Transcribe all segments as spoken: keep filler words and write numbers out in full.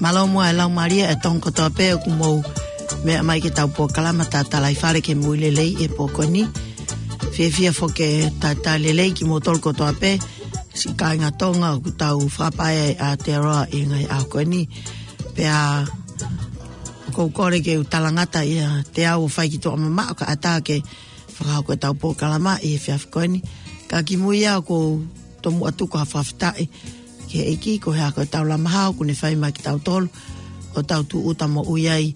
Mālō muʻa e laumālie ʻa e Tonga kotoa pē ʻoku mou meʻa mai ki heʻetau polokalama Tatalaifale ki he Moʻui Lelei he pō ko eni. Fiefia foki ke talitali lelei kimoutolu kotoa pē, siʻi kāinga Tonga ʻoku tau fakapae ai ʻa Aotearoa ʻi he ngaahi ʻaho ko eni. Pea ʻoku ou kole ke u talangata ʻiate au ʻo fai ki tuʻa mamaʻo kae ʻatā ke fakahoko ʻetau polokalama ʻi he efiafi ko eni. Ka kimuʻa ʻoku ou tomuʻa tuku ha fakafetaʻi ki he ʻEiki koeʻuhi ko ʻetau lama hao kuo ne fai mai kiate kitautolu ʻo tau tūʻuta moʻui ai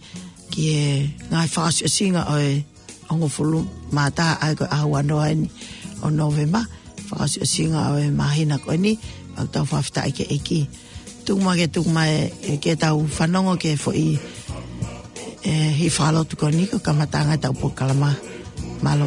ki he ngaahi fakaʻosiʻosinga ʻo e hongofulu mā taha ʻa ia ko e ʻaho ua noa eni ʻo Nōvema, fakaʻosiʻosinga ʻo e māhina ko eni, ʻoku tau fakafetaʻi ki he ʻEiki. Tuku mai ke tuku mai ē ke tau fanongo ki he foʻi, ē, hifalotu ko eni ko e kamataʻanga ʻetau polokalama. Mālō.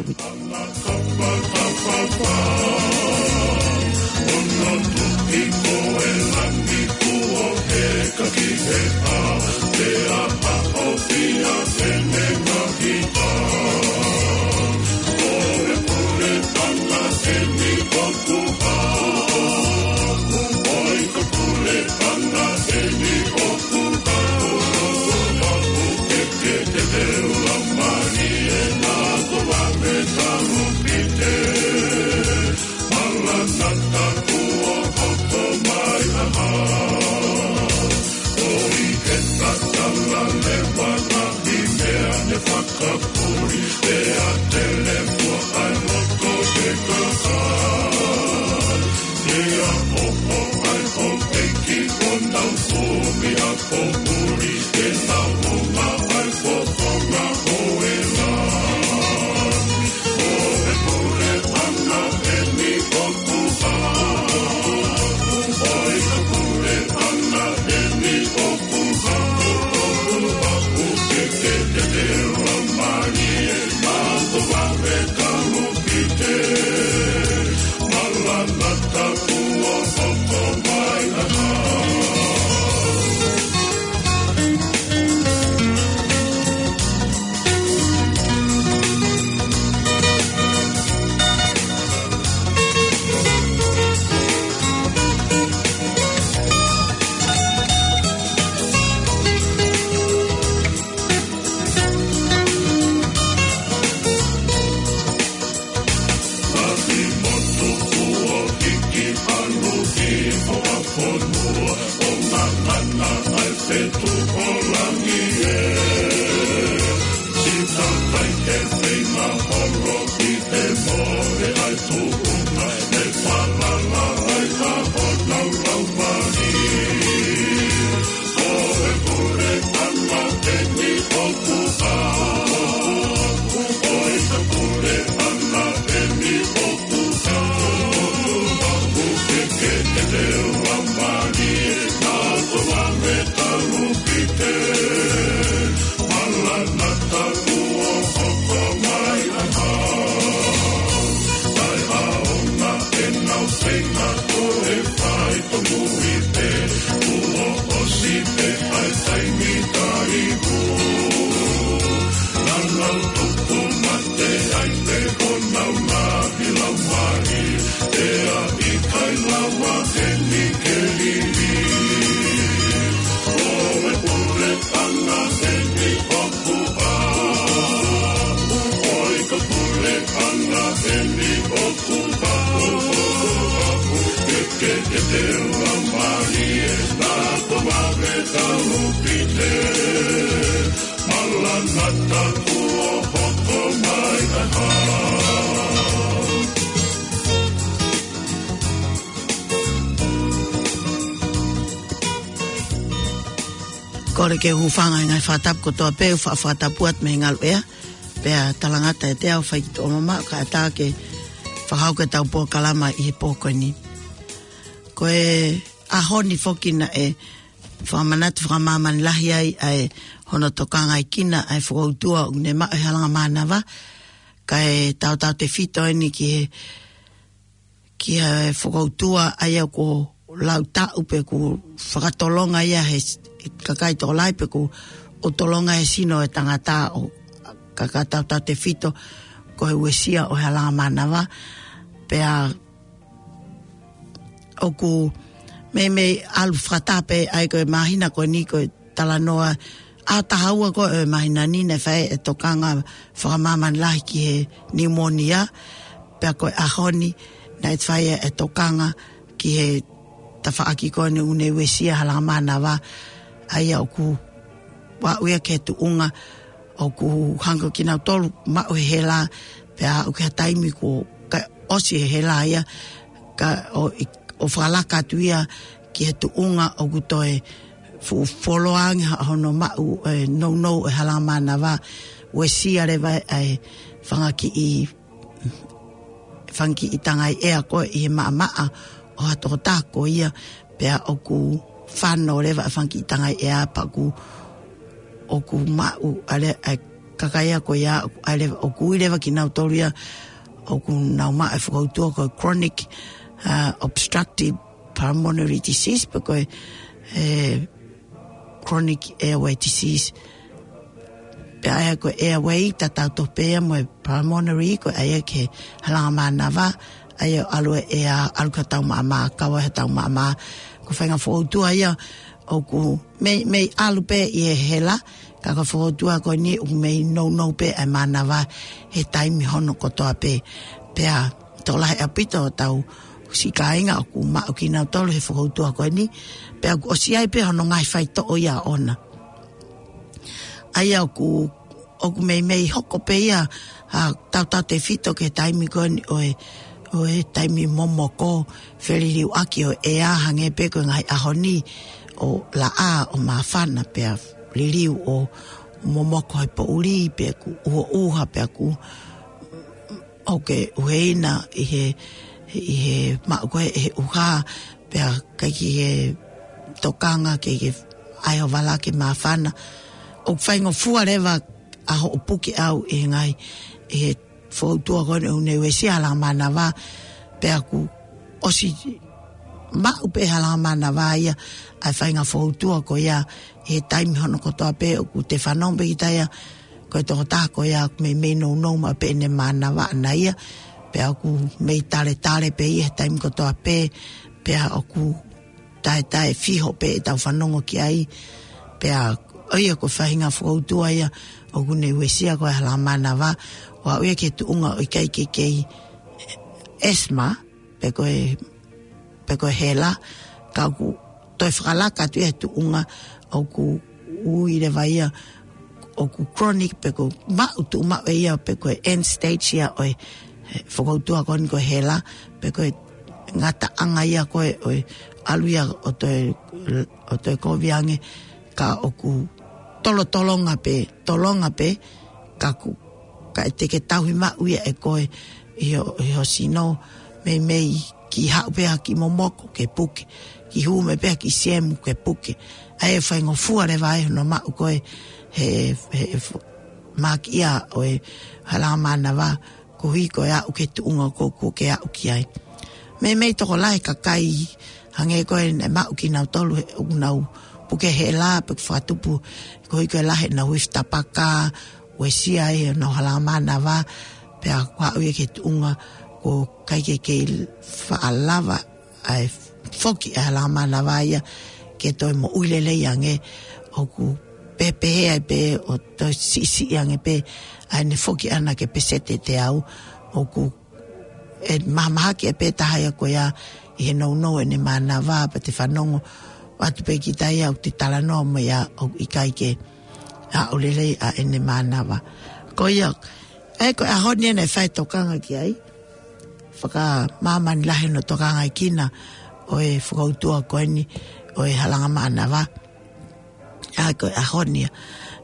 Kole ke u hūfanga he ngaahi fakatapu kotoa pē, ʻo fa-, fakatapu atu mei he ngaluʻea. Pea talangata ʻiate au ʻo fai ki tuʻa mamaʻo kae ʻatā ke fakahoko ʻetau polokalama ʻi he pō ko eni. Ko e ʻaho ni foki naʻe fakamanatu fakamāmani lahi ai ʻa e hono tokangaekina ʻa e fokoutua ʻoku ne maʻu ʻe he Halanga Mānava, kae tautautefito eni ki he ki he fokoutua ʻa ia kuo lau taʻu pe kuo fakatolonga ia he s-, kakai tokolahi pe kuo ʻo tolonga he sino ʻo e tangata ʻo ka, ka tautautefito ko e uesia ʻo e Halanga Mānava. Pea ʻoku Meimei ʻalu fakataha pē ai ko e māhina ko eni ko e talanoa ʻa e taha ua ko e māhina ni naʻe fai e tokanga fakamāmani lahi ki he pneumonia. Pea ko e ʻaho ni naʻe fai e tokanga ki he tafaʻaki ko eni ʻoku ne uesia Halangamānava, ʻa ia ʻoku aʻu ia ki he tuʻunga ʻoku hanga kinautolu maʻu he hela, pea ʻoku ʻi ai ha taimi kuo ʻosi he hela ia, ka ʻo, ʻo fakalaka atu ia ki he tuʻunga ʻoku toe fuʻu fuoloa ange ha-, hono maʻu e nounou e Halangamānava, uesia leva e fanga kiʻi, fanga kiʻi tangai ʻea ko ē ʻi he maʻamaʻa ʻo ha tokotaha ko ia, pea ʻoku fano leva e fanga kiʻi tangai ʻea pea ʻoku, ʻoku maʻu ʻa e, ʻa e kakai ia ko ia, ʻoku ʻi ai leva, ʻoku ui leva kinautolu ia ʻoku nau maʻu e fokoutua ko e chronic, uh, obstructive pulmonary disease, pe ko e, e, chronic airway disease. Pea ʻa ia ko e airway tatau tofu pē ia mo e pulmonary, ko e ʻa ia ki he Halangamānava, ʻa ia ʻalu e ʻea, ʻalu ki hotau maʻamaʻa, kau ai hotau maʻamaʻa. Ko e faʻahinga fokoutua ia ʻoku mei, mei ʻalu pē ʻi he hela, ka ko e fokoutua ko eni ʻoku mei nounou pē ʻa e mānava he taimi hono kotoa pē. Pea tokolahi ʻaupito hotau siʻi kāinga ʻoku maʻu kinautolu he fokoutua ko eni, pea ʻoku ʻosi ʻi ai pē hono ngaahi faitoʻo ia ʻoʻona. ʻA ia ʻoku, ʻoku meimei hoko pē ia, ʻa, tautautefito ki he taimi ko eni ʻo e, ʻo e taimi momoko, feliliuaki ʻo e ʻea, hangē pē ko e ngaahi ʻaho ni ʻo laʻā ʻo māfana, pea liliu ʻo momoko he poʻuli, pea ʻoku ʻuha, ʻuha, pea ʻoku ʻoku ke ʻuheina ʻi he, ʻi he maʻu ko ē ʻe he ʻuha, pea ʻikai ke ke tokanga, ke ke ʻai hoʻo vala ke māfana. ʻOku faingofua leva ʻa hoʻo puke ʻau ʻi he ngaahi, ʻi he fokoutua ko eni ʻoku ne uesia Halangamānava, pea ʻoku ʻosi maʻu pē Halangamānava ia ʻa e faʻahinga fokoutua ko ia he taimi hono kotoa pē. ʻOku te fanongo pē kita ia, ko e tokotaha ko ia ʻoku meimei nounou maʻu pē ʻene mānava ʻana ia, pea ʻoku mei taletale pē ia he taimi kotoa pē, pea ʻoku taetae fiho pē ʻetau fanongo ki ai. Pea ʻa ia ko e faʻahinga fokoutua ia ʻoku ne uesia ko e Halangamānava, ʻo aʻu ia ki he tuʻunga ʻoku ʻikai ke kei asthma, pe ko e, pe ko e hela, ka ʻoku toe fakalaka atu ia he tuʻunga ʻoku ui leva ia ʻoku chronic, pe ko e maʻu, tuʻu maʻu ʻe ia, pe ko e end stage ia ʻo e, e fokoutua ko eni ko e hela, pe ko e ngataʻanga ia ko ē ʻo e ʻalu ia ʻo toe, ʻo toe kovi ange, ka ʻoku tolotolonga pē, tolonga pē, ka ʻoku, ka ʻe te ke tauhi maʻu ia ʻe koe ʻi ho, ʻi ho sino, meimei kiʻi haʻu pē ha kiʻi momoko ke puke, kiʻi hū mai pē ha kiʻi siemu ke puke. ʻA ia ʻe faingofua leva ai hono maʻu ko ē he, he, he fo-, makiʻia ʻo e Halangamānava, koeʻuhi ko e aʻu ki he tuʻunga ko ē ʻoku ke aʻu ki ai. Meimei tokolahi e kakai, hangē ko ē naʻe maʻu kinautolu he ʻoku nau puke hela, pe ʻoku fakatupu, koeʻuhi ko e lahi ʻenau ifi tapaka, uesia ai ʻenau Halangamānava, pea ʻoku aʻu ia ki he tuʻunga ʻoku ʻikai ke kei faʻa lava ʻa e foki ʻa e Halangamānava ia ke toe moʻui lelei ange. ʻOku pehē pē ai pē ʻo toe siʻisiʻi ange pē ʻa ʻene foki ʻana ki he peseti ʻe teau. ʻOku ʻe mahamahaki ai pē taha ia ko ia ʻi he nounou ʻene mānava, pea te fanongo atu pē kita ia ʻoku te talanoa mo ia ʻoku ʻikai ke aʻu lelei ʻa ʻene mānava. Ko ia, ʻa ia ko e ʻaho ni naʻe fai e tokanga ki ai. Fakamāmani lahi hono tokangaʻi kinaua ʻo e fokoutua ko eni ʻo e Halangamānava. ʻA ia ko e ʻaho ni ia.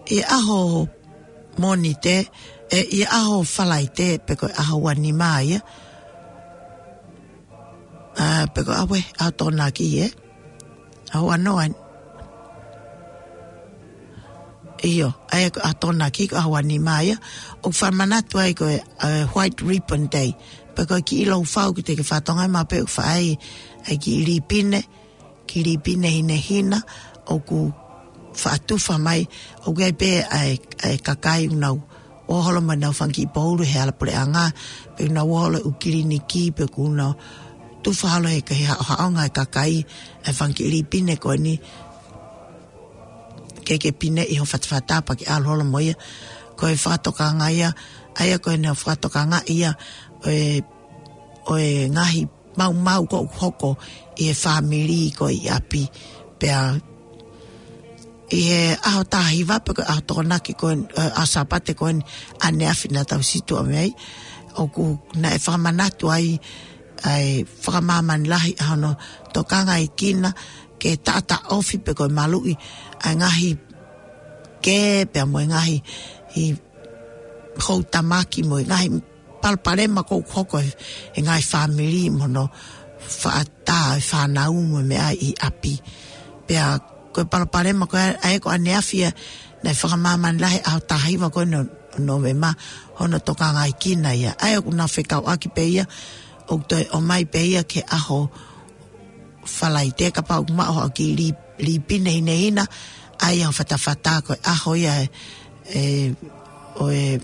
ʻI he ʻaho Mōnite, ē, ʻi he ʻaho Falaite, pe ko e ʻaho ua nima ia. ʻA, pe ko e ʻaho ē, ʻaho Tokonaki, ē? ʻAho ua noa. ʻIo, ʻa ia ko e ʻaho Tokonaki, ko e ʻaho ua nima ia. ʻOku fakamanatu ai ko e, ē, White Ribbon Day. Pe ko e kiʻi lou fau ki te ke fatonga ma pe ʻoku fai ai, ʻa e kiʻi lipine, kiʻi lipine hinehina, ʻoku faʻa tufa mai, ʻoku ʻi ai pē ʻa e, ʻa e kakai ʻoku nau ō holo mo ʻenau fanga kiʻi poulu he hala puleʻanga, pe ʻoku nau ō holo ʻū kiliniki, pe ʻoku nau ʻufa holo he, he haʻohaʻonga e kakai, e fanga kiʻi lī pine ko eni, ke ke pineʻi ho fatafata pea ke ʻalu holo mo ia. Ko e fakatokanga ia, ʻa ia ko eni ʻo fakatokanga ia, ʻo e, ʻo e ngaahi maumau ʻoku hoko ʻi he fāmili ko ē ʻi ʻapi. Pea ʻi he ʻaho taha hiva pe ko e ʻaho Tokonaki ko ē, ʻaho Sāpate ko eni ʻaneafi naʻa tau situʻa mei ai, ʻoku naʻe fakamanatu ai ʻa e fakamāmani lahi ʻa hono tokangaekina ke taʻataʻofi pe ko e maluʻi ʻa e ngaahi kē pea mo e ngaahi ʻi houtamaki mo e ngaahi palopalema ʻoku hoko he, he ngaahi fāmili mo hono faʻa tā e fānau mo e meʻa ʻi ʻapi. Pea ko e palopalema ko ē, ʻa ia ko ʻaneafi ia, naʻe fakamāmani lahi ʻaho taha hiva ko eni ʻo Nōvema hono tokangaekina ia. ʻA ia ʻoku nau fekauʻaki pē ia, ʻoku toe ʻomai pē ia ki he ʻaho Falaite kapau ʻoku maʻu haʻo kiʻi lī, lī pine hinehina, ʻa ia ʻo fatafata ko e ʻaho ia e, e, ʻo e,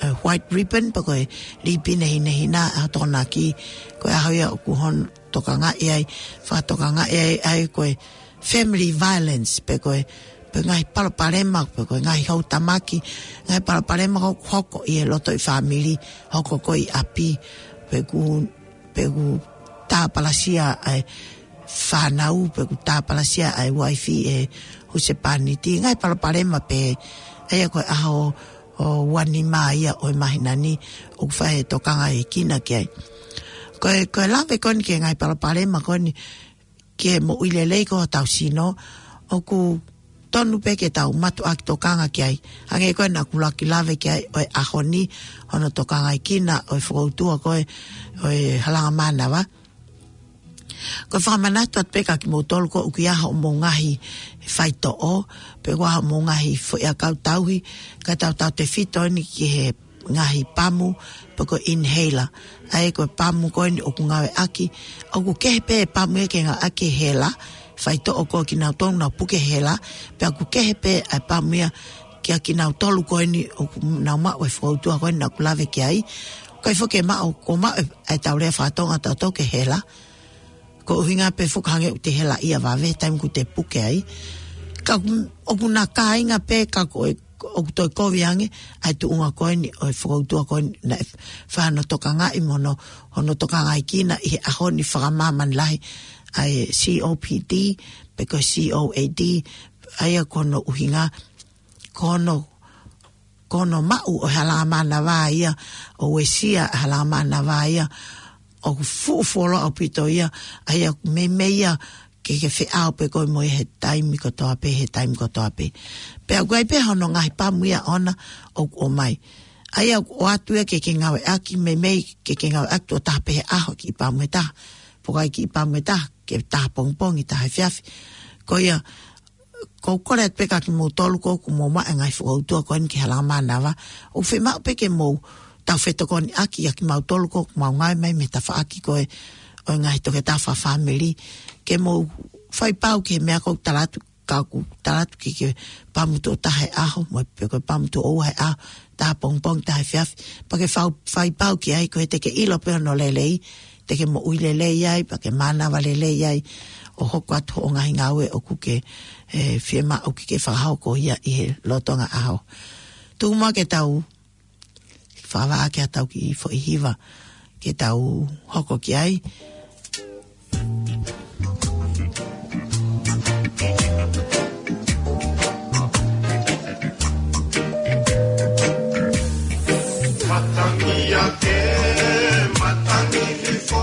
e white ribbon, pe ko e lī pine hinehina, ʻaho Tokonaki, ko e ʻaho ia ʻoku hono tokangaʻi ai, fakatokangaʻi ai, ʻa ia ko e family violence, pe ko e, pe ngaahi palopalema, pe ko e ngaahi houtamaki, ngaahi palopalema ʻoku hoko ʻi he loto ʻi fāmili, hoko ko ē ʻi ʻapi, pe ʻoku pe ʻoku tāpalasia ʻa e fānau, pe ʻoku tāpalasia ʻa e uaifi ʻe he husepāniti, ngaahi palopalema pē, ʻa ia ko e ʻaho ʻo ua nima ia ʻo e māhina ni, ʻoku fai e tokangaekina ki ai. Ko e, ko e lave ko eni ki he ngaahi palopalema ko eni, ki he moʻui lelei ko ē hotau sino, ʻoku tonu pē ke tau mātuʻaki tokanga ki ai. Hangē ko ē naʻa ku ʻuluaki lave ki ai ʻo e ʻaho ni, hono tokangaekina ʻo e fokoutua ko ē ʻo e halanga mānava. Ko e fakamanatu atu pē kia kimoutolu ko ē ʻoku ʻi ai hoʻomou ngaahi faitoʻo, pe ʻoku ʻi ai hoʻomou ngaahi foʻiʻakau tauhi, ka tau tautefito eni ki he ngaahi pamu, pe ko e inhaler. ʻA ia ko e pamu ko eni ʻoku ngāueʻaki, ʻoku kehe pē pamu ia ke ngāueʻaki hela, faitoʻo ko ē kinautolu naʻa nau puke hela, pea ʻoku kehe pē ʻa e pamu ia kia kinautolu ko eni ʻoku nau maʻu e fokoutua ko eni naʻa ku lave ki ai. Ko e foki e maʻu, ko e maʻu e, ʻa e tau lea faka-Tonga tautolu ki he hela. Ko e ʻuhinga pē foki hangē ʻoku te hela ia vave, taimi ʻoku te puke ai. Ka ʻoku, ʻoku na kāinga pē ka ko e, ʻoku toe kovi ange, ʻa e tuʻunga ko eni ʻo e fokoutua ko eni naʻe fai hono tokangaʻi mo hono, hono tokangaekina ʻi he ʻaho ni fakamāmani lahi, ʻa e C O P D, pe ko e C O A D, ʻa ia ko hono ʻuhinga, ko hono, ko hono maʻu ʻo e halanga mānava ia, ʻo uesia e halanga mānava ia, ʻoku fuʻu fuoloa ʻaupito ia, ʻa ia ʻoku meimei ia ke ke feʻao pē koe mo ia he taimi kotoa pē, he taimi kotoa pē. Pea ʻoku ʻi ai pē hono ngaahi pamu ia ʻoʻona ʻoku ʻomai. ʻA ia ʻoku ʻoatu ia ke ke ngāueʻaki, meimei ke ke ngāueʻaki tuʻo taha pē he ʻaho kiʻi pamu ʻe taha. Pe ko e kiʻi pamu ʻe taha, ke taha pongipongi, taha efiafi. Ko ia, ʻoku ou kole atu pē kia kimoutolu ko ē ʻoku mou maʻu e ngaahi fokoutua ko eni ki he halanga mānava. ʻOku fiemaʻu pē ke mou taufetokoniʻaki ʻa kimautolu ko ē ʻoku mau ngāue mai mei he tafaʻaki ko ē ʻo e ngaahi toketā fakafāmili. Ke mou fai pau ki he meʻa ʻoku ou tala atu, ka ʻoku tala atu ke ke pamu tuʻo taha he ʻaho, mo e pe ko e pamu tuʻo ua he ʻaho, taha pongipongi, taha efiafi. Pea ke fau-, fai pau ki ai, ko ia te ke ʻilo pē hono lelei, te ke moʻui lelei ai, pea ke mānava lelei ai, ʻo hoko atu hoʻo ngaahi ngāue ʻoku ke, ʻe, fiemaʻu ke ke fakahoko ia ʻi he lolotonga ʻaho. Tuku muʻa ke tau fakavaʻa ki haʻatau kiʻi foʻi hiva ke tau hoko ki ai. Matangi ake, matangi hifo,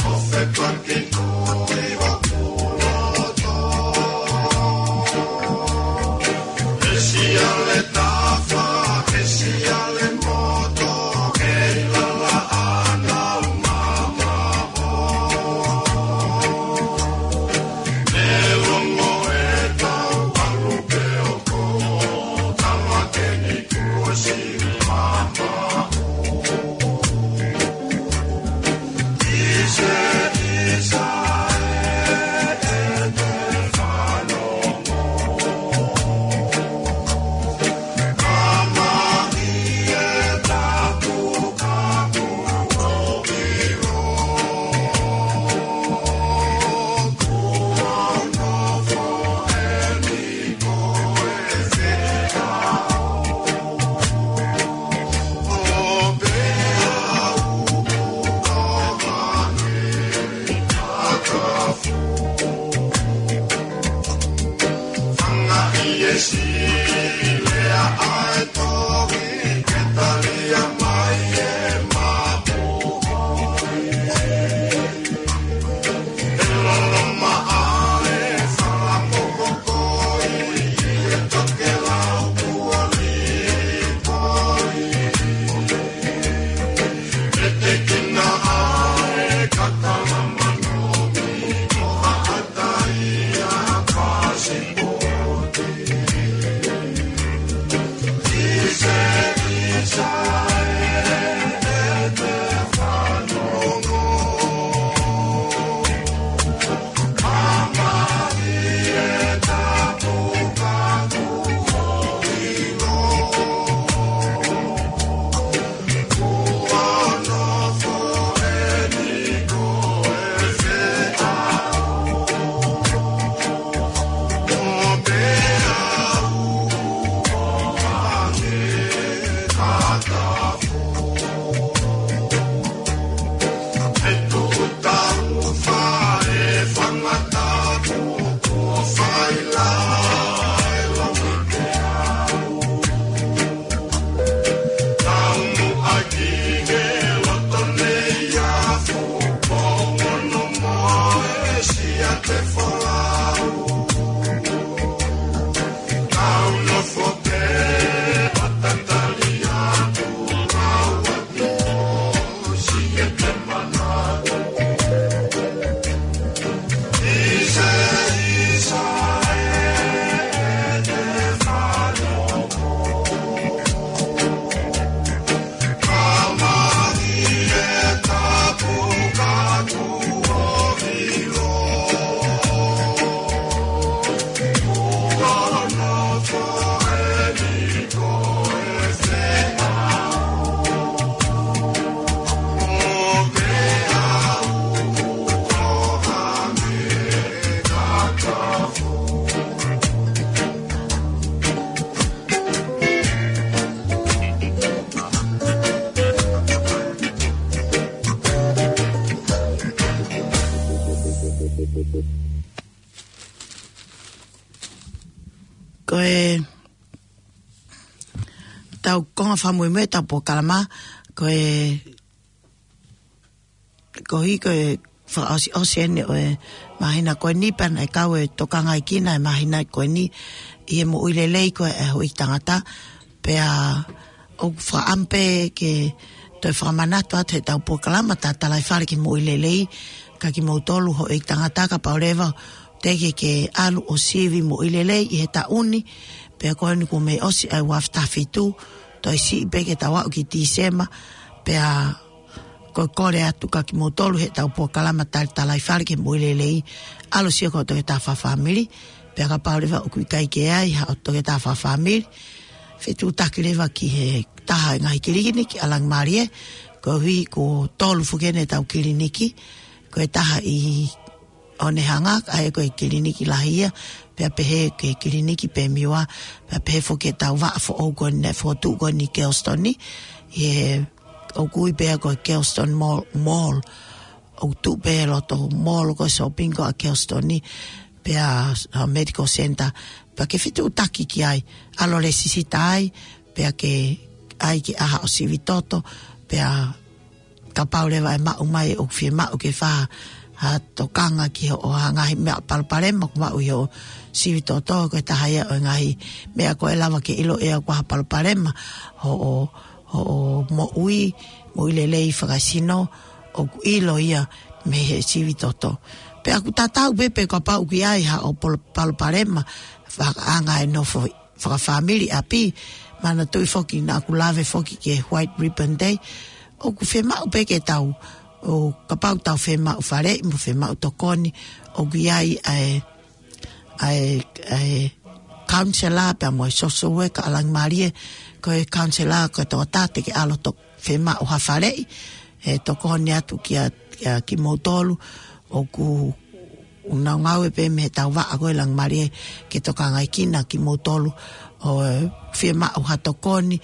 ʻo fepaki tui hoku loto. Hesi ale tafa, hesi ale moto, kei lala ana umama. Ko e tau konga fakamuimui ʻetau polokalama, ko e, ko e, ko e fakaʻosiʻosi eni ʻo e māhina ko eni pea naʻe kau e tokangaʻi kina e māhina ko eni ʻi he moʻui lelei ko ē ʻa e houʻeiki tangata. Pea ʻoku fakaʻamu pē ke toe fakamanatu atu heʻetau polokalama Tatalaifale ki he Moʻui Lelei, ka kimoutolu houʻeiki tangata kapau leva te ke ke ʻalu ʻo sivi moʻui lelei ʻi he taʻu ni, pea ko eni kuo mei ʻosi ʻa e ua afe taha fitu, toe siʻi pē ke tau aʻu ki Tīsema, pea ko e kole atu kia kimoutolu heʻetau polokalama Tatalaifale ki he Moʻui Lelei, ʻalu ʻo sio ki hoʻo toketā fakafāmili, pea kapau leva ʻoku ʻikai ke ʻi ai haʻo toketā fakafāmili, fetuʻutaki leva ki he taha e ngaahi kiliniki ʻa Langimālie, koeʻuhi ko e tolu foki eni ʻetau kiliniki, ko e taha ʻi ʻOnehunga, ʻa ia ko e kiliniki lahi ia, pea pehē ki he kiliniki Pemiua, pea pehē foki ʻetau vaʻa foʻou ko eni naʻe fokotuʻu ko eni ʻi Kelsitoni, ʻi he ʻoku ui pē ia ko e Kelsitoni Mall, Mall, ʻoku tuʻu pē loto mall ko e shopping ko ē ʻa Kelsitoni, pea, ʻa, medical center, pea ke fetuʻutaki ki ai, ʻalu ʻo lēsisita ai, pea ke ʻai ke ʻai haʻo sivi toto, pea kapau leva ʻe maʻu mai ʻoku fiemaʻu ke fai ha tokanga ki hoʻo ngaahi meʻa palopalema ʻoku maʻu ʻi hoʻo sivi toto, ko e taha ia ʻo e ngaahi meʻa ko ē ʻe lava ke ʻilo ʻe au ko ha palopalema hoʻo, hoʻo moʻui, moʻui lelei fakasino, ʻoku ʻilo ia mei he sivi toto. Pea ʻoku tatau pē pe kapau ʻoku ʻi ai haʻo pol-, palopalema fakaʻanga e nofo fakafāmili ʻapi, manatuʻi foki naʻa ku lave foki ki he White Ribbon Day, ʻoku fiemaʻu pē ke tau, ʻo kapau tau fiemaʻu faleʻi mo fiemaʻu tokoni, ʻoku ʻi ai ʻa e, ʻa e, ʻa e counselor pea mo e social worker ʻa Langimālie, ko e counselor ko e tokotaha te ke ʻalu ʻo fiemaʻu ha faleʻi, ʻe tokoni atu kia, kia kimoutolu, ʻoku ʻunaungaue pē mei heʻetau vaʻa ko ē Langimālie ke tokangaʻi kina kimoutolu ʻoku fiemaʻu ha tokoni,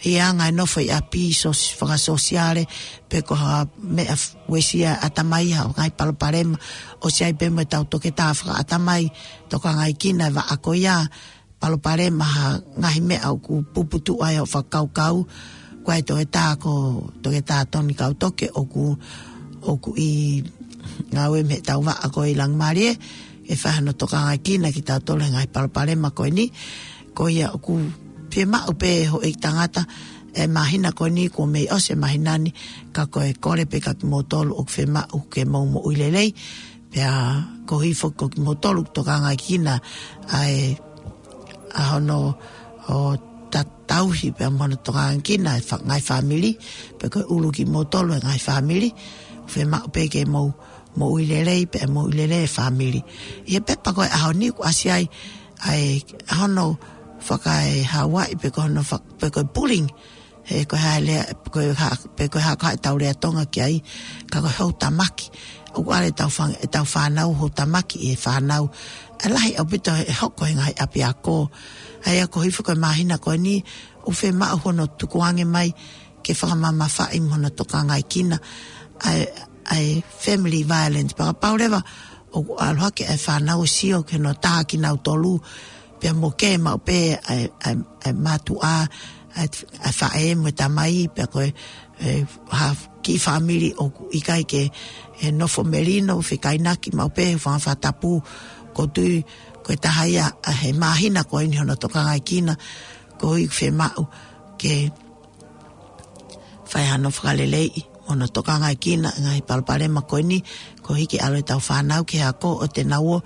ʻi he anga e nofo ʻi ʻapi sos-, fakasōsiale, pe ko ha meʻa f-, uesia ʻatamai ha ngaahi palopalema, ʻosi ʻi ai pē mo ʻetau toketā fakaʻatamai, tokangaʻi kina e vaʻa ko ia, palopalema, ha ngaahi meʻa ʻoku puputuʻu ai hoʻo fakakaukau, ko e toketā ko, toketā Toni Kautoke ʻoku, ʻoku ʻi ngāue mei he tau vaʻa ko ē ʻi Langimalie, ʻe fai hano tokangaʻi kinautolu he ngaahi palopalema ko eni. Ko ia ʻoku fiemaʻu pē houʻeiki tangata, ʻe māhina ko eni kuo mei ʻosi e māhina ni, ka ko e kole pē kia kimoutolu ʻoku fiemaʻu ke mou moʻui lelei, pea ko hifo ko kimoutolu tokangaʻi kinautolu ʻa e, ʻa hono, ʻo ta-, tauhi pea mo hono tokangaʻi kinautolu e fa-, ngaahi fāmili, pe ko e ʻulu kimoutolu e ngaahi fāmili, fiemaʻu pē ke mou moʻui lelei, pea moʻui lelei e fāmili. ʻI he pepa ko e ʻaho ni ʻoku ʻasi ai, ʻa e, ʻa hono fakaehauaʻi pe ko hono fa-, pe ko e bullying, he ko e hā e lea, pe ko e hā, pe ko e hā ko ā ʻetau lea Tonga ki ai, ka ko e houtamaki. ʻOku ʻalu ʻetau fāng-, ʻetau fānau houtamaki ʻi he fānau. ʻE lahi ʻaupito ʻe hoko he ngaahi ʻapiako. ʻA ia ko hifo ko e māhina ko eni, ʻoku fiemaʻu hono tukuange mai, ke fakamamafaʻi mo hono tokangaʻi kinautolu ʻa e, ʻa e family violence. Pea kapau leva ʻoku ʻalu hake e fānau ʻo sio ki hono tā kinautolu, pea mo ke maʻu pē ʻa e, ʻa e, ʻa e mātuʻa, ʻa e, ʻa e faʻē mo e tamai, pea ko e, e, ha kiʻi fāmili ʻoku ʻikai ke, e, nofo melino, fekainaki maʻu pē, fanga fakatapu, ʻoku ou tui ko e taha ia ʻa e māhina ko eni hono tokangaʻi kinautolu, ko ia ʻoku fiemaʻu ke fai hano fakaleleiʻi mo hono tokangaʻi kinautolu e ngaahi palopalema ko eni, koeʻuhi ke ʻalu ʻetau fānau ki he ako ʻo te nau ō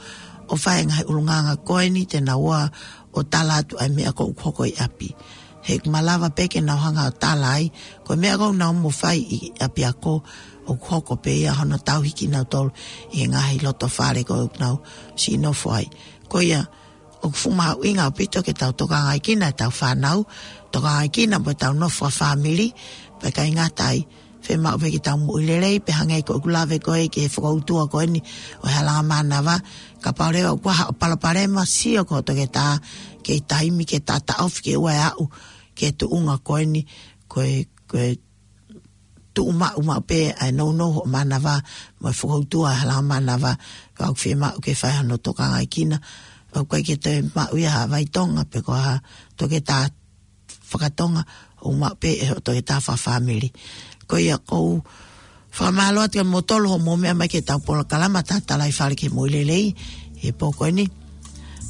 ʻo fai e ngaahi ʻulungaanga ko eni, te nau ō ʻo tala atu ʻa e meʻa ko ē ʻoku hoko ʻi ʻapi. He ʻoku malava pē ke nau hanga ʻo tala ai, ko e meʻa ko ē ʻoku nau mo fai ʻi ʻapiako ʻoku hoko pē ia hono tauhi kinautolu ʻi he ngaahi loto fale ko ē ʻoku nau siʻi nofo ai. Ko ia, ʻoku fuʻu mahuʻinga ʻaupito ke tau tokangaʻi kinautolu ʻetau fānau, tokangaʻi kinautolu mo ʻetau nofo fakafāmili, pea ʻikai ngata ai, fiemaʻu pē ke tau moʻui lelei, pea hangē ko ʻeku lave ko ē ki he fokoutua ko eni ʻo e halanga mānava, kapau leva ʻoku ʻi ai haʻo palopalema, sio ki ho toketā, kei taimi ke taʻotaʻofi ke ʻoua ʻe aʻu ki he tuʻunga ko eni, ko e, ko e tuʻu maʻu maʻu pē ʻa e nounou hoʻo mānava, mo e fokoutua e halanga mānava, ka ʻoku fiemaʻu ke fai hano tokangaʻi kinautolu. ʻOku ʻikai ke toe maʻu ia ha vai Tonga, pe ko ha toketā fakatonga, ʻoku maʻu pē ʻe hoʻo toketā fakafāmili. Ko ia ʻoku ou fakamālō atu kia moutolu hoʻomou meʻa mai ki heʻetau polokalama Tatalaifale ki he Moʻui Lelei he pō ko eni.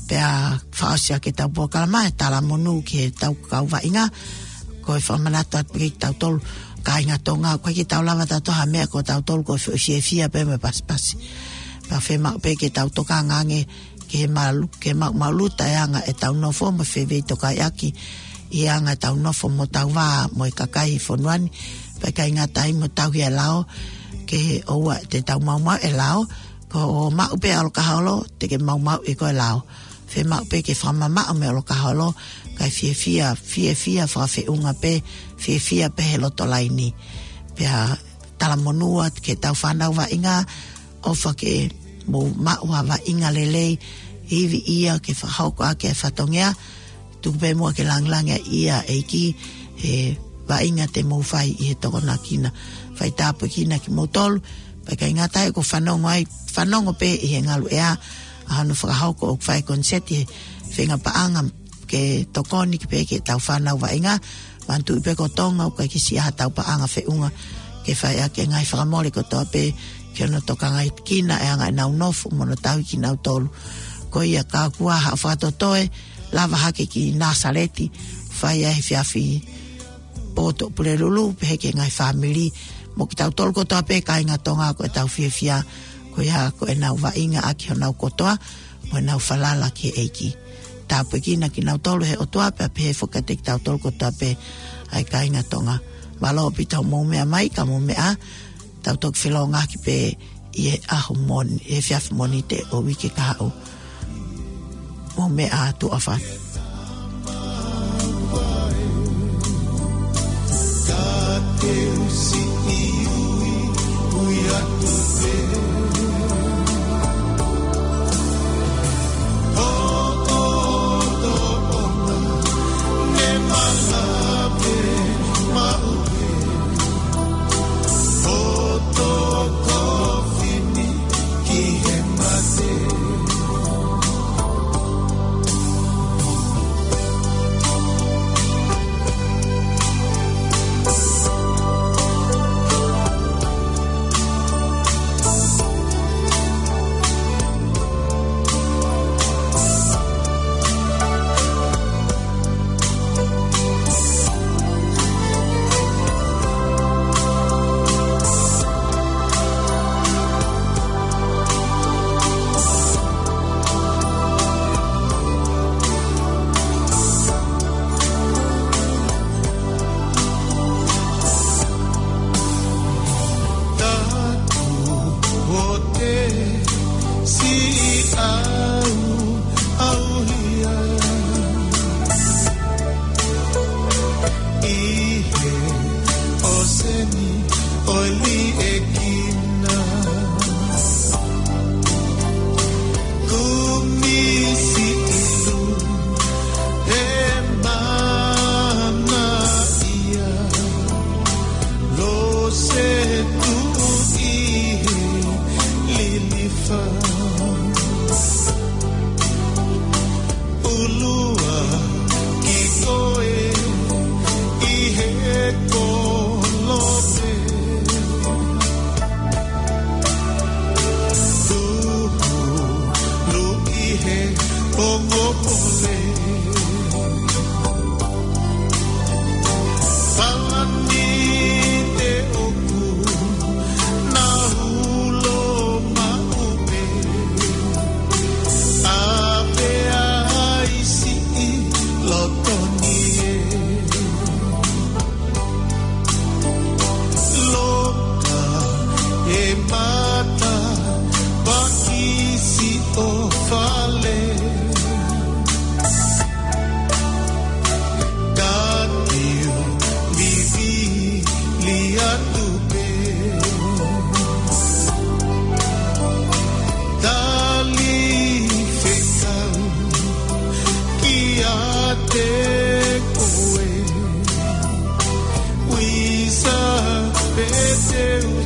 Pea fakaʻosi ʻaki ʻetau polokalama, e talamonū ki heʻetau kau vaʻinga, ko e fakamanatu atu pē kia kitautolu kāinga Tonga, ʻoku ʻikai ke tau lava ʻo tala ha meʻa, ko kitautolu ko e foʻi fiefia pē mo e pasipasi. Pea fiemaʻu pē ke tau tokanga ange ki he malu-, ke maʻumaʻuluta e anga ʻetau nofo mo e fefeitokaʻiʻaki ʻi he anga ʻetau nofo mo hotau vā mo e kakai ʻi he fonua ni, pea ʻikai ngata ai mo tauhi e lao, ke ʻoua te tau maumauʻi e lao, ko hoʻo maʻu pē ʻa e ʻolokaholo, te ke maumauʻi ʻe koe e lao. Fiemaʻu pē ke fakamamaʻo mei he ʻolokaholo, kae fiefia, fiefia fakafeʻunga pē, fiefia pē he loto laini. Pea talamonū atu ki heʻetau fānau vaʻinga, ʻofa ke mou maʻu ha vaʻinga lelei, ivi ia ke fakahoko ʻaki e fatongia, tuku pē muʻa ke langilangiʻia e ʻEiki he vaʻinga te mou fai ʻi he tokonakina. Fai tāpuekina kimoutolu, pea ʻikai ngata ai, ʻoku fanongo ai, fanongo pē ʻi he ngaluʻea ʻa hono fakahoko ʻoku fai koniseti he fenga paʻanga ke tokoni ki pē ki heʻetau fānau vaʻinga, manatuʻi pē ko Tonga, ʻoku ʻikai ke siʻi ʻi ai haʻatau paʻanga feʻunga ke fai ʻaki e ngaahi fakamole kotoa pē ki hono tokangaʻi kinautolu e anga ʻenau nofo mo hono tauhi kinautolu. Ko ia, ka ʻoku ʻi ai haʻo fakatotoe, lava hake ki Nāsaleti, fai ai he efiafi poto Pulelulu, pehē ki he ngaahi fāmili, mo kitautolu kotoa pē kāinga Tonga ko ʻetau fiefia, ko ia ko ʻenau vaʻinga ʻaki honau kotoa, mo ʻenau falala ki he ʻEiki. Tāpuekina kinautolu ʻe he ʻOtua pea pehē foki kiate kitautolu kotoa pē ʻa e kāinga Tonga. Mālō ʻaupito hoʻomou meʻa mai, ka mou meʻa ā, tau toki felōngoaki pē ʻi he ʻaho Mōn-, ʻi he efiafi Mōnite ʻo e uike kahaʻu. Mou meʻa ā, tuʻa ʻofa atu. Ulua ki koe ʻi he kolope. Tuhu nu ʻi he pongopongo. Palani te oku na ulo maʻu pē. A pea ai siʻi loto ni e. Loka e mata pakisi o fale. Ka kiu vivili atu pē. Tali fekau kiate koe. Uisa pē te u